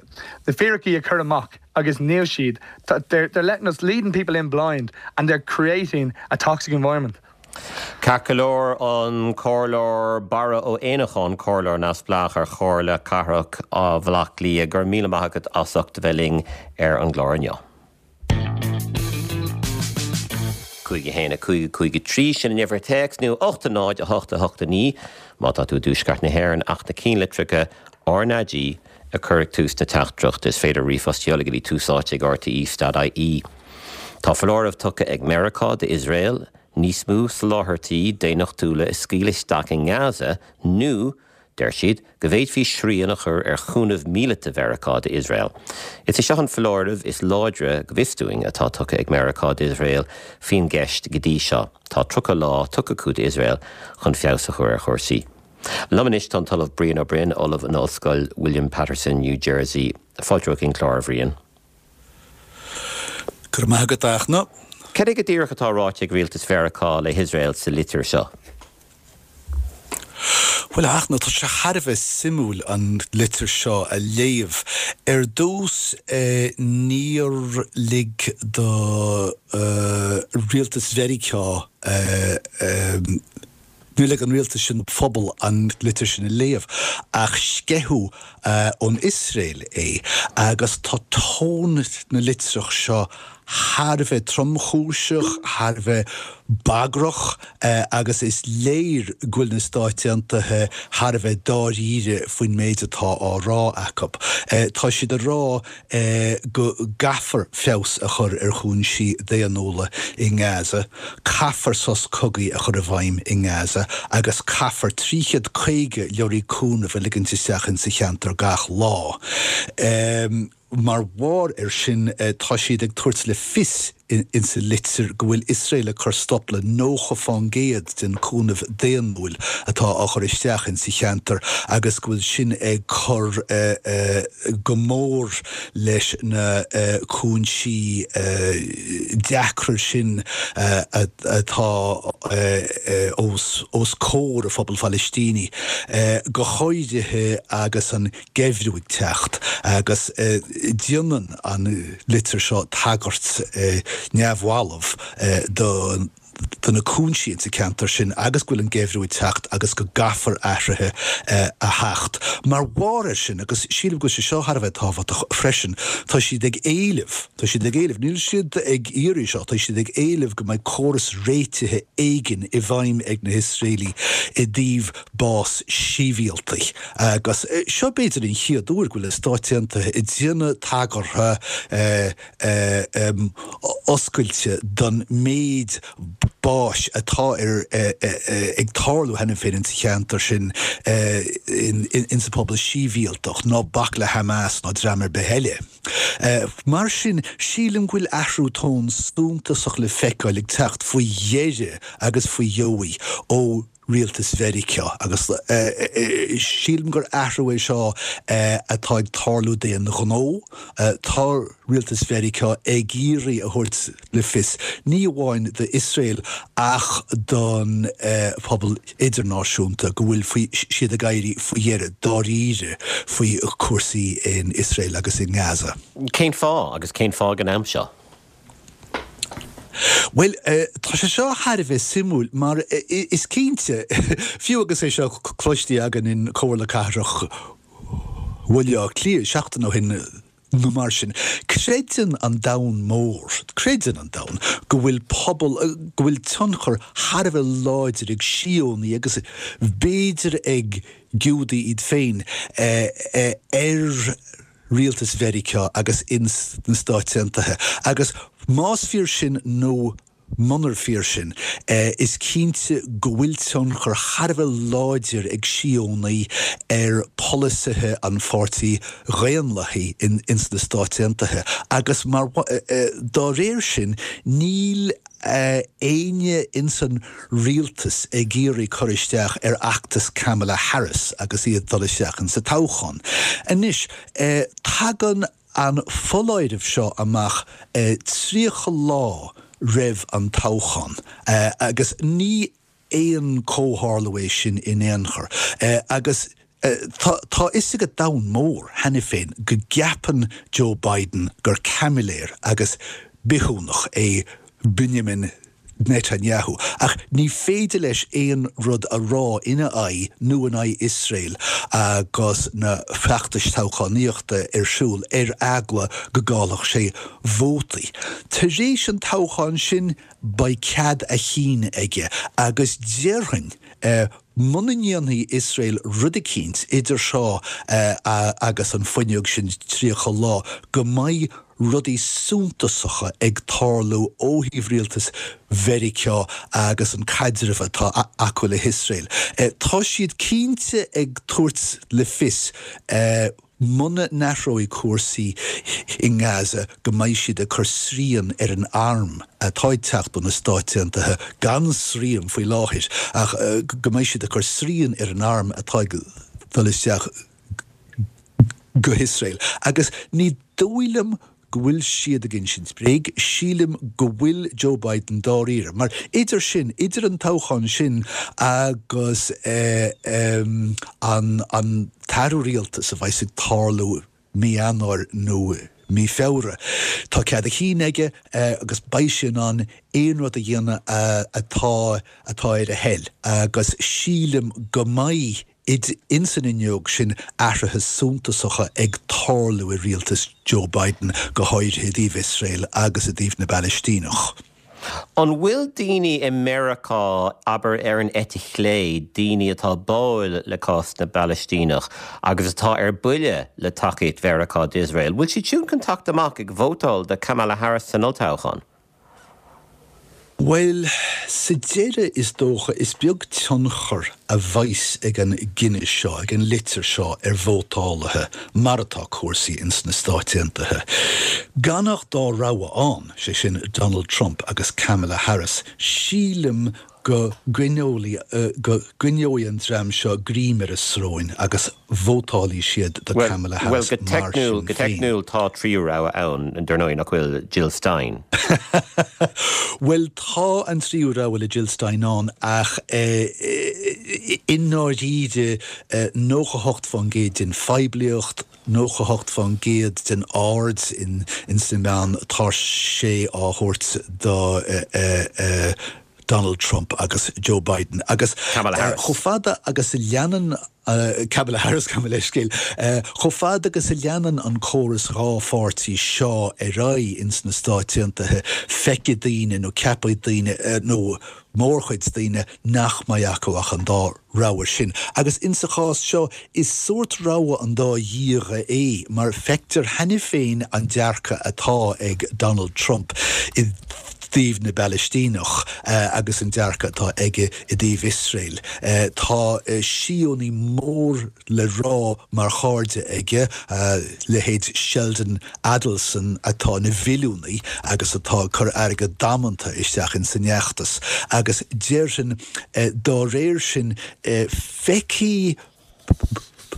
na fíricí a chur amach agus níl siad, they're they're letting us leading people in blind and they're creating a toxic environment. Ceart go leor, an Comhairleoir Barra Ó Éanacháin, Comhairleoir Neamhspleách ar Chomhairle Cathrach Bhaile Átha Cliath, go raibh míle maith agat as ucht a bheith linn ar an gclár inniu. 5 1 5 5 3, sin an uimhir téacs, nó 8 0 8 8 9 má tá tú i dtuaisceart na hÉireann ach na cinnlitreacha RnaG a chur ag tús na teachtaireachta. Is féidir ríomhphost a sheoladh go dtí túsáite ag rte.ie. Tá foláireamh tugtha ag Meiriceá d'Iosrael níos mó soláthairtí daonnachtúla a scaoileadh isteach i nGaza nó, deir siad, go bhféadfaí srian a chur ar chúnamh míleata Mheiriceá d'Iosrael. Is é seo an foláireamh is láidre, go bhfios dúinn, atá tugtha ag Meiriceá d'Iosrael faoin gceist go dtí seo. Tá 30 lá tugtha acu d'Iosrael chun feabhas a chur ar chúrsaí. Liom anois tá an tOllamh Brian Ó Broin, Ollamh in Ollscoil William Paterson, New Jersey. Fáilte romhat chuig an gclár, a Bhriain. Go raibh maith agat, a Fhachtna. Cad é go díreach atá ráite ag rialtas Mheiriceá le hIosrael sa litir seo? Bhuel, a Fhachtna, tá sé thar a bheith suimiúil an litir seo a léamh. Ar dtús, níor lig do rialtas Mheiriceá, Níor lig an rialtas sin don phobal an litir sin a léamh, ach sceitheadh ón Iosrael é, agus tá tón na litreach seo. thar a bheith tromchúiseach, thar a bheith bagrach agus is léir go bhfuil na Stáit Aontaithe thar a bheith dáiríre faoin méid atá á rá acu. Tá siad ag rá go gcaithfear feabhas a chur ar chúinsí daonnúla i nGaza, caithfear sos cogaidh a chur i bhfeidhm i nGaza agus caithfear 350 leoraí cúnaimh a ligint isteach insa cheantar gach lá. Mar bharr air sin, tá siad ag tabhairt le fios insa litir go bhfuil Iosrael ag cur stop le 90 fán gcéad den cúnamh daonnúil atá á chur isteach insa cheantar agus go bhfuil sin ag cur go mór leis na cúinsí deacra sin atá os comhair an phobail Phalaistínigh, go háirithe agus an geimhreadh ag teacht agus déanann an litir seo tagairt neamhbhalbh do do na cúinsí insa cheantar sin agus go bhfuil an geimhreadh ag teacht agus go gcaithfear athruithe a theacht. Mar bharr air sin, agus sílim go bhfuil sé seo thar a bheith tábhachtach freisin, tá siad ag éileamh, tá siad ag éileamh, níl siad ag iarraidh seo, tá siad ag éileamh go mbeidh córas réitithe éigin i bhfeidhm ag na hIosraelaigh i dtaobh bás sibhialtaigh. Agus seo b'fhéidir an chéad uair go bhfuil na Stáit Aontaithe ag déanamh tagartha oscailte don méid báis atá ar ag tarlú cheana féin insa cheantar sin insa phobal sibhialtach, ná bac le Hamas ná dream ar bith eile. Mar sin, sílim go bhfuil athrú tóin suntasach le feiceáil ag teacht faoi dheireadh agus faoi dheoidh ó rialtas Mheiriceá agus sílim gur athrú é seo atá ag tarlú d'aon ghnó. Tá rialtas Mheiriceá ag iarraidh a thabhairt le fios, ní amháin d'Iosrael ach don phobal idirnáisiúnta, go bhfuil siad ag éirí faoi dheireadh dáiríre faoi chúrsaí in Iosrael agus i nGaza. Cén fáth agus cén fáth ag an am seo? Bhuel, tá sé seo thar a bheith suimiúil mar is cinnte, fiú agus é seo cloiste againn in Comhairle Cathrach Bhaile Átha Cliath seachtain ó shin nó mar sin, creideann an domhan mór, creideann an domhan go bhfuil pobal, go bhfuil tionchar thar a bheith láidir ag Síónaigh agus b'fhéidir ag Giúdaigh iad féin ar rialtas Mheiriceá agus ins na Stáit Aontaithe. Agus más fíor sin nó munar fíor sin, is cinnte go bhfuil tionchar thar a bheith láidir ag Síónaigh ar pholasaithe an Pháirtí Dhaonlathaigh ins na Stáit Aontaithe. Agus mar, dá réir sin, níl éinne ins an rialtas ag iarraidh cur isteach ar fheachtas Kamala Harris agus í ag dul isteach insa toghchán. Anois, tagann an foláireamh seo amach 30 lá roimh an toghchán agus ní aon chomhtharlú é sin in aon chor. Agus tá a fhios ag an domhan mór cheana féin go gceapann Joe Biden gur caimiléir agus bithiúnach é Benjamin Netanyahu, ach ní féidir leis aon rud a rá ina aghaidh nó in aghaidh Iosrael agus na feachtais toghchánaíochta ar siúl ar eagla go gcaillfeadh sé vótaí. Tar éis an toghcháin sin, beidh cead a chinn aige agus déarfainn muna ndéanfaidh Iosrael rud eicínt idir seo agus an fuinneog sin 30 lá go mbeidh rudaí suntasacha ag tarlú ó thaobh rialtas Mheiriceá agus an caidreamh atá acu le hIosrael. Tá siad cinnte ag tabhairt le fios Muna n-athróidh cúrsaí i nGaza go mbeidh siad ag cur srian ar an arm atá ag teacht ó na Stáit Aontaithe, gan srian faoi láthair, ach go mbeidh siad ag cur srian ar an arm atá ag dul isteach go hIosrael. Agus ní dóigh liom go bhfuil siad ag insint bréag, sílim go bhfuil Joe Biden dáiríre, mar idir sin, idir an toghchán sin agus an an t-athrú rialtais a bheas ag tarlú mí Eanáir nó mí Feabhra, tá cead a chinn aige agus beidh sé in ann aon rud a dhéanamh atá atá ar a thoil agus sílim go mbeidh. ins an fhuinneog sin athruithe suntasacha ag tarlú i rialtas Joe Biden, go háirithe i dtaobh Iosrael agus i dtaobh na bPalaistíneach. An bhfuil daoine i Meiriceá, abair ar an eite chlé, daoine atá báúil le cás na bPalaistíneach agus atá ar buile le tacaíocht Mheiriceá d'Iosrael, bhfuil siad siúd chun teacht amach ag vótáil do Kamala Harris san olltoghchán? Bhuel, sa deireadh, is dócha, is beag tionchar a bheas ag an gcinneadh seo, ag an litir seo ar vótálaithe mar atá cúrsaí ins na Stáit Aontaithe. Gan ach dá rogha ann, sé sin Donald Trump agus Kamala Harris, sílim go gcoinneoidh, go gcoinneoidh an dream seo greim ar a sróin agus vótálfaidh siad do Kamala Harris mar sin féin. Go teicniúil tá tríú rogha ann, dar ndóigh, nach bhfuil, Jill Stein. Bhuel, tá an tríú rogha le Jill Stein ann ach i ndáiríre 98% den phoiblíocht, 98% den aird ins na meáin, tá sé á thabhairt do Donald Trump agus Joe Biden agus Kamala Harris. chomh fada agus a leanann Kamala Harris, gabh mo leithscéal, chomh fada agus a leanann an córas dhá pháirtí seo ar aghaidh ins na Stáit Aontaithe, feicfidh daoine nó ceapfaidh daoine nó mórchuid daoine nach mbeidh acu ach an dá rogha sin. Agus insa chás seo, is sórt rogha an dá dhíogha é, mar feictear cheana féin an dearcadh atá ag Donald Trump i dtaobh na bPalaistíneach agus an dearcadh atá aige i dtaobh Iosrael. Tá Síónaí mór le rá mar chairde aige, leithéid Sheldon Adelson atá ina mhilliúnaí agus atá ag cur airgead damanta isteach ins an fheachtas agus déarfainn dá réir sin feicfidh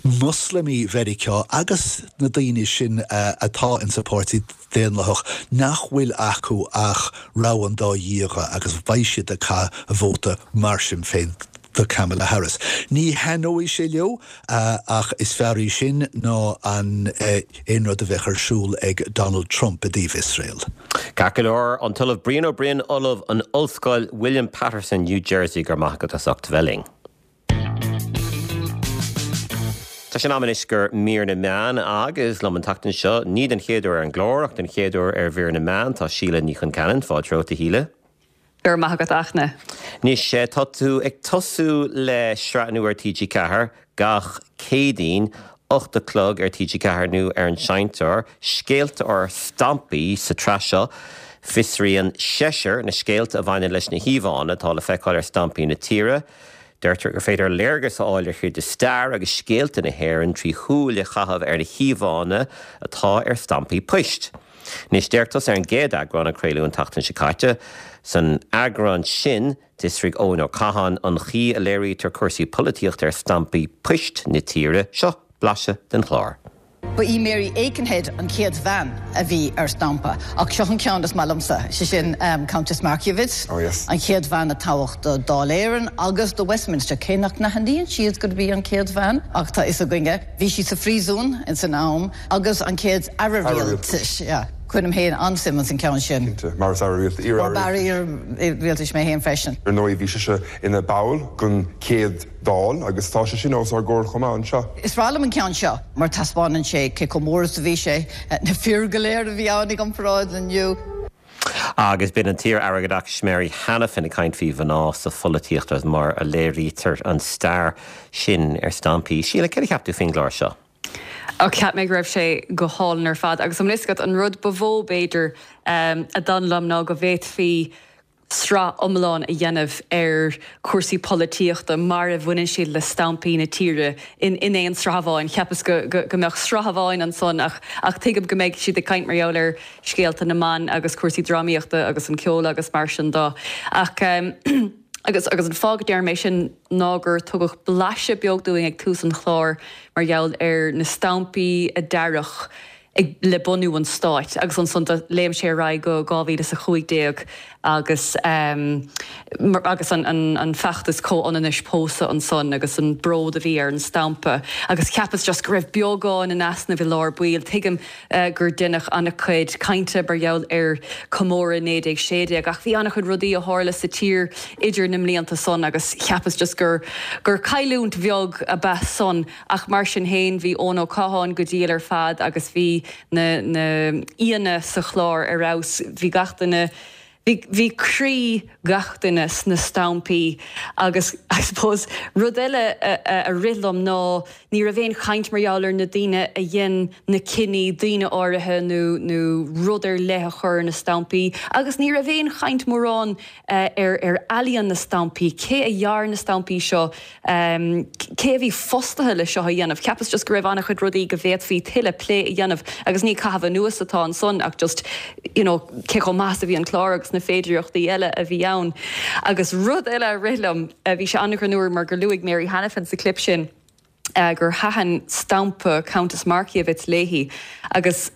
Moslamaigh Mheiriceá agus na daoine sin atá ins an Páirtí Daonlathach nach bhfuil acu ach rogha an dá dhíogha agus beidh siad ag caitheamh a vóta mar sin féin do Kamala Harris. Ní thaitneoidh sé leo ach is fearr í sin ná an aon rud a bheadh ar siúl ag Donald Trump i dtaobh Iosrael. Ceart go leor, an tOllamh Brian Ó Broin, Ollamh in Ollscoil William Paterson, New Jersey, go raibh maith agat as ucht a bheith linn. Tá sé in am anois do Mhír na Meán agus liom an tseachtain seo, ní den chéad uair ar an gclár ach den chéad uair ar Mhír na Meán, tá Síle Ní Chonceanainn. Fáilte romhat, a Shíle. Go raibh maith agat, a Fhachtna. Anois, tá tú ag tosú le sraith nua ar TG4 gach Céadaoin, 8 a chlog ar TG4 nó ar an seinnteoir, Scéalta ár Stampaí sa tsraith seo. Fiosraíonn seisear na scéalta a bhaineann leis na híomhánna atá le feiceáil ar stampaí na tíre. Deirtear gur féidir léargas a fháil ar chuid de stair agus scéalta na hÉireann trí shúil a chaitheamh ar na híomhánna atá ar stampaí poist. Anois, d'amharc tusa ar an gcéad eagrán a craoladh an tseachtain seo caite. San eagrán sin, d'fhiosraigh Eoin Ó Catháin an chaoi a léirítear cúrsaí polaitíochta ar stampaí poist na tíre. Seo blaiseadh den chlár. Ba í Mary Aikenhead an chéad bhean a bhí ar stampa, ach seo an ceann is maith liomsa, sé sin Countess Markievicz, an chéad bhean a toghadh do Dáil Éireann agus do Westminster, cé nach n-aithníonn siad gurb í an chéad bhean, ach tá fhios againne. Bhí sí sa phríosún ins an am agus an chéad Aire Rialtais, yeah. Cuirim féin an-suim ins an ceann sin. Cinnte, mar is Aire Rialtais, iar-Aire Rialtais. Mar b'Aire Rialtais mé féin freisin. Ar ndóigh bhí sise ina ball den chéad Dáil agus tá sé sin os ár gcomhair chomh maith anseo. Is breá liom an ceann seo mar taispeánann sé cé chomh mór is a bhí sé, na fir go léir a bhí ann i gcomparáid le inniu. Agus b'in an t-iar-aire Oideachais Mary Hanafin ag caint faoi mhná sa pholaitíocht agus mar a léirítear an stair sin ar stampaí. Síle, céard a cheap tú faoin gclár seo? Ó, cheap mé go raibh sé go hálainn ar fad agus an bhfuil fhios agat, an rud ba mhó b'fhéidir a d'fhan liom ná go bhféadfaí sraith iomlán a dhéanamh ar chúrsaí polaitíochta mar a bhaineann siad le stampaí na tíre in in aon sraith amháin. Cheapas go go mbeadh sraith amháin ansan ach ach tuigim go mbeidh siad ag caint mar gheall ar scéalta na mban agus cúrsaí drámaíochta agus an ceol agus mar sin de. Ach agus agus an fáth go ndeirim é sin ná gur tugadh blaiseadh beag dúinn ag tús an chláir mar gheall ar na stampaí a dearadh. ag le bunú an stáit agus ansan do léim sé ar aghaidh go 2015 agus agus an an feachtas comhionannais pósadh ansan agus an bród a bhí ar an stampa agus cheapas just go raibh beagán in easnamh i lár baill. Tuigim gur deineadh an-chuid cainte mar gheall ar comóradh 1916 ach bhí an-chuid rudaí a tharla sa tír idir na mblianta san agus cheapas just gur gur cailliúint bheag ab ea san. Ach mar sin féin, bhí Eoin Ó Catháin go diail ar fad agus bhí na na aíonna sa chlár ar fheabhas. Bhí gach duine, bhí, bhí croí gach duine sna stampaí agus I suppose rud eile a, a rith liom ná ní raibh aon chaint mar gheall ar na daoine a dhein na cinní, daoine áirithe nó, nó rud ar leith a chur ar na stampaí agus ní raibh aon chaint mórán ar, ar ealaíon na stampaí, cé a dhear na stampaí seo, Cé a bhí fostaithe le seo a dhéanamh? Cheapas just go raibh an-chuid rudaí go bhféadfaí tuilleadh plé a dhéanamh agus ní caitheamh anuas atá ansan ach just you know cé chomh maith is a bhí an clár agus na féidireachtaí eile a bhí ann. Agus rud eile a rith liom, bhí sé an-ghreannmhar mar gur luaigh Mary Hanafin sa clip sin gur thaitin stampa Countess Markievicz léi agus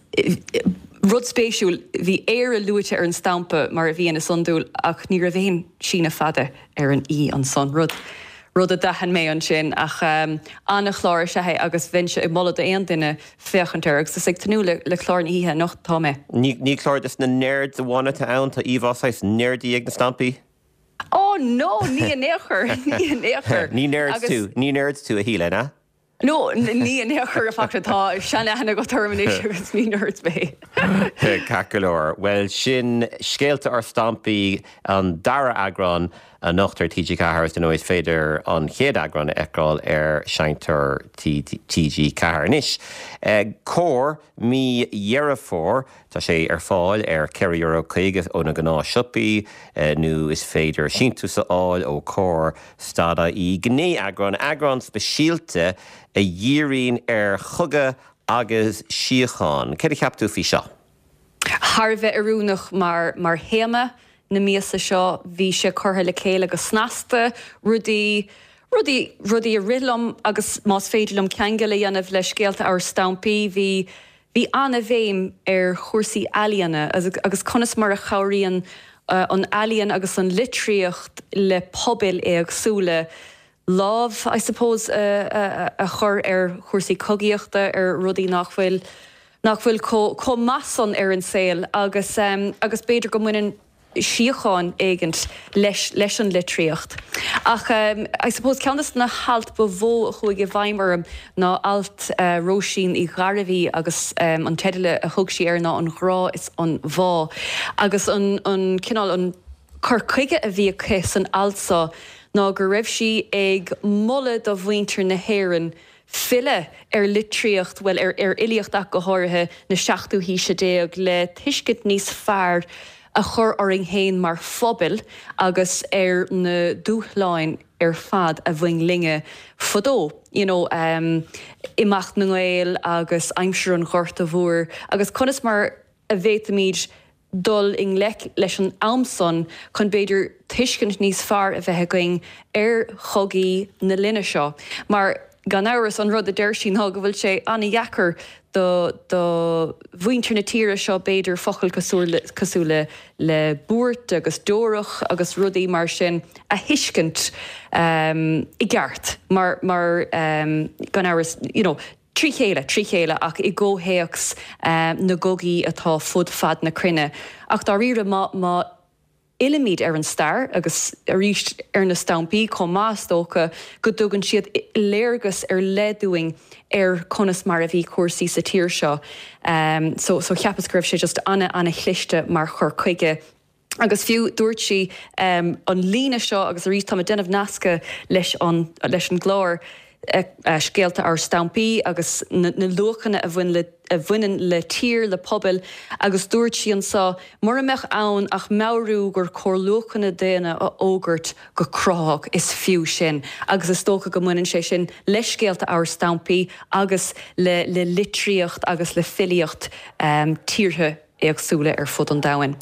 rud spéisiúil, bhí Éire luaite ar an stampa mar a bhíonn is iondúil ach ní raibh aon síneadh fada ar an í ansan, rud, rud a d'aithin mé ansin. Ach an-chlár is ea é agus bheinnse ag moladh d'aon duine féachaint air agus is ag tnúth le, le clár na hoíche anocht atá mé. Ní, ní clár dos na nerds amháin atá ann, tá íomhá saghas nerdy ag na stampaí. Oh no, ní in aon chor, ní in aon chor. Ní nerd tú, ní nerd tú a Shíle, an ea? No, ní in aon chor, in fact, tá seanaithne agat orm anois agus ní nerd mé. Ceart go leor. Bhuel, sin Scéalta ár Stampaí, an dara eagrán anocht ar TG4 agus dar ndóigh is féidir an chéad eagrán a fheiceáil ar Seinnteoir TG4. Anois, Comhar, mí Dheireadh Fómhair, Tá sé ar fáil ar €4.50 ó na gnáth-siopaí nó is féidir síntiús a fháil ó Comhar stad ie. Gné-eagrán, eagrán speisialta a dhíríonn ar chogadh agus síocháin. Céard a cheap tú faoi seo? Thar a bheith oiriúnach mar mar théama na míosa seo. Bhí sé curtha le chéile go snasta, rudaí, rudaí, rudaí a rith liom agus más féidir liom ceangal a dhéanamh le scéalta ár stampaí, bhí Bhí an-bhéim ar chúrsaí ealaíona agus conas mar a chabhraíonn an ealaíon agus an litríocht le pobail éagsúla lámh, I suppose, a chur ar chúrsaí cogaíochta, ar rudaí nach bhfuil, nach bhfuil chomh maith san ar an saol agus agus b'fhéidir go mbaineann síocháin éigint leis leis an litríocht. Ach I suppose ceann de na hailt ba mhó a chuaigh i bhfeidhm orm ná alt Róisín Uí Ghairbhí agus an teideal a thug sí air ná An Grá is an Bhá. Agus an an cineál an cur chuige a bhí aici san alt seo ná go raibh sí ag moladh do mhuintir na hÉireann filleadh ar litríocht, bhuel, ar fhilíocht ach go háirithe, na seachtú haoise déag le tuiscint níos fearr a chur orainn féin mar phobal agus ar na dúshláin ar fad a bhain linne fadó, you know, imeacht na nGael agus aimsir an Ghorta Mhóir agus conas mar a bhféadfaimid dul i ngleic leis an am san chun b'fhéidir tuiscint níos fearr a bheith againn ar chogaí na linne seo. Mar, gan amhras, an rud a deir sí ná go bhfuil sé an-dheacair do do mhuintir na tíre seo b'fhéidir focail cosúil cosúil le le buairt agus deorach agus rudaí mar sin a thuiscint i gceart mar mar gan amhras you know trí chéile, trí chéile ach i gcomhthéacs na gcogaí atá fud fad na cruinne. Ach dáiríre, má, má fhillimid ar an stair, agus arís ar na stampaí chomh maith is dócha go dtugann siad léargas ar leith dúinn ar conas mar a bhí cúrsaí sa tír seo. So, so cheapas go raibh sé just ana, ana-chliste mar chur chuige. Agus fiú dúirt sí an líne seo, agus arís táim ag déanamh nascadh leis an leis an gclár, Scéalta ár Stampaí agus na luachanna a bhain le a bhaineann le tír, le pobail, agus dúirt sí anseo, mura mbeadh ann ach meabhrú gur cóir luachanna daonna a fhógairt go cruthaitheach, is fiú sin. Agus is dócha go mbaineann sé sin le Scéalta ár Stampaí agus le le litríocht agus le filíocht tíortha éagsúla ar fud an domhain.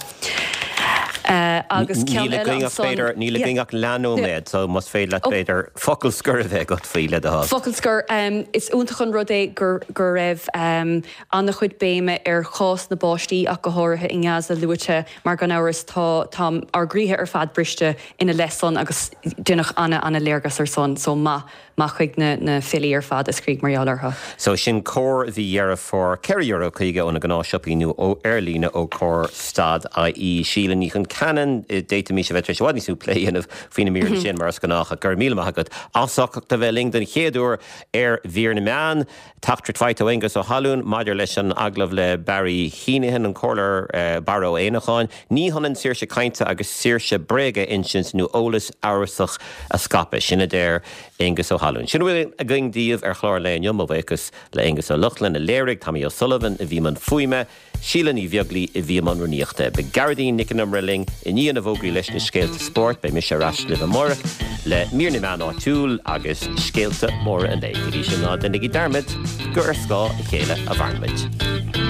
Agus ceann eile ansan. Níl againn ach leathnóiméad, so más féidir leat b'fhéidir focal scoir a bheith agat faoi, le do thoil. Focal scoir, is iontach an rud é go raibh an-chuid béime ar chás na bpáistí ach go háirithe i nGaza luaite mar gan amhras tá tá ár gcroíthe ar fad briste ina leith san agus deineadh an-an-léargas ar san so maith Maith chuig na na filí ar fad a scrígh mar gheall orthu. So sin Comhar mhí Dheireadh Fómhair, €4.50 ó na gnáthshiopaí nó ó ar líne ó Comhar stad IE. Síle Ní Chonceanainn, d'fhéadfaimis a bheith tar éis i bhfad níos mó plé a dhéanamh faoi na míreanna sin mar is gnách ach go raibh míle maith agat as ucht a bheith linn den chéad uair ar Mhír na Meán. Teachtaireacht faighte ó Aengus Ó hAlúin maidir leis an agallamh le Barry Heneghan, an Comhairleoir Barra Ó Éanacháin. Ní hionann saoirse cainte agus saoirse bréaga a insint nó eolas amhrasach a scaipeadh. Sin a deir Aengus Ó hAlúin. Sin a bhfuil againn daoibh ar chlár an lae inniu. Mo bhuíochas le Aonghus Ó Lochlainn a léirigh, Tommy O'Sullivan a bhí i mbun fuaime, Síle Ní Bheaglaoi a bhí i mbun rúnaíochta. Beidh Gearóidín Nic an Iomaire linn i ndiaidh na bhfógraí leis na scéalta spóirt. Beidh mise ar ais libh amárach le mír na meán áitiúil agus scéalta móra an lae. Go dtí sin, ná déanaigí dearmad gur ar scáth a chéile a mhaireann muid.